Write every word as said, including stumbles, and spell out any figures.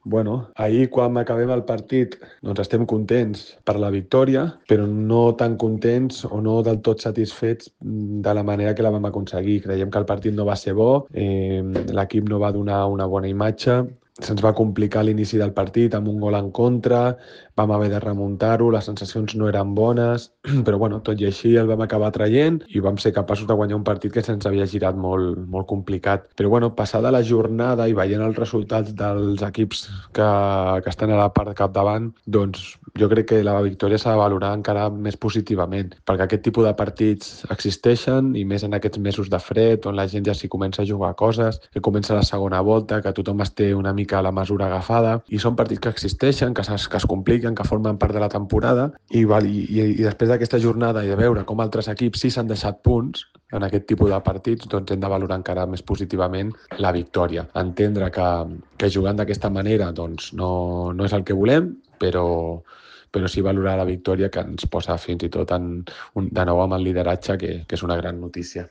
Bueno, ahir quan acabem el partit doncs estem contents per la victòria, però no tan contents o no del tot satisfets de la manera que la vam aconseguir. Creiem que el partit no va ser bo, eh, l'equip no va donar una bona imatge, se'ns va complicar l'inici del partit amb un gol en contra, vam haver de remuntar-ho, les sensacions no eren bones, però bueno, tot i així el vam acabar traient i vam ser capaços de guanyar un partit que se'ns havia girat molt, molt complicat. Però bueno, passada la jornada i veient els resultats dels equips que, que estan a la part de capdavant, doncs jo crec que la victòria s'ha de valorar encara més positivament, perquè aquest tipus de partits existeixen i més en aquests mesos de fred, on la gent ja s'hi comença a jugar coses, que comença la segona volta, que tothom es té una mica la mesura agafada, i són partits que existeixen, que, es, que es compliquen, que formen part de la temporada, i, val, i, i, i després d'aquesta jornada i de veure com altres equips sí s'han deixat punts en aquest tipus de partits, doncs hem de valorar encara més positivament la victòria. Entendre que, que jugant d'aquesta manera doncs no, no és el que volem, però, però sí valorar la victòria, que ens posa fins i tot en, un, de nou amb el lideratge, que, que és una gran notícia.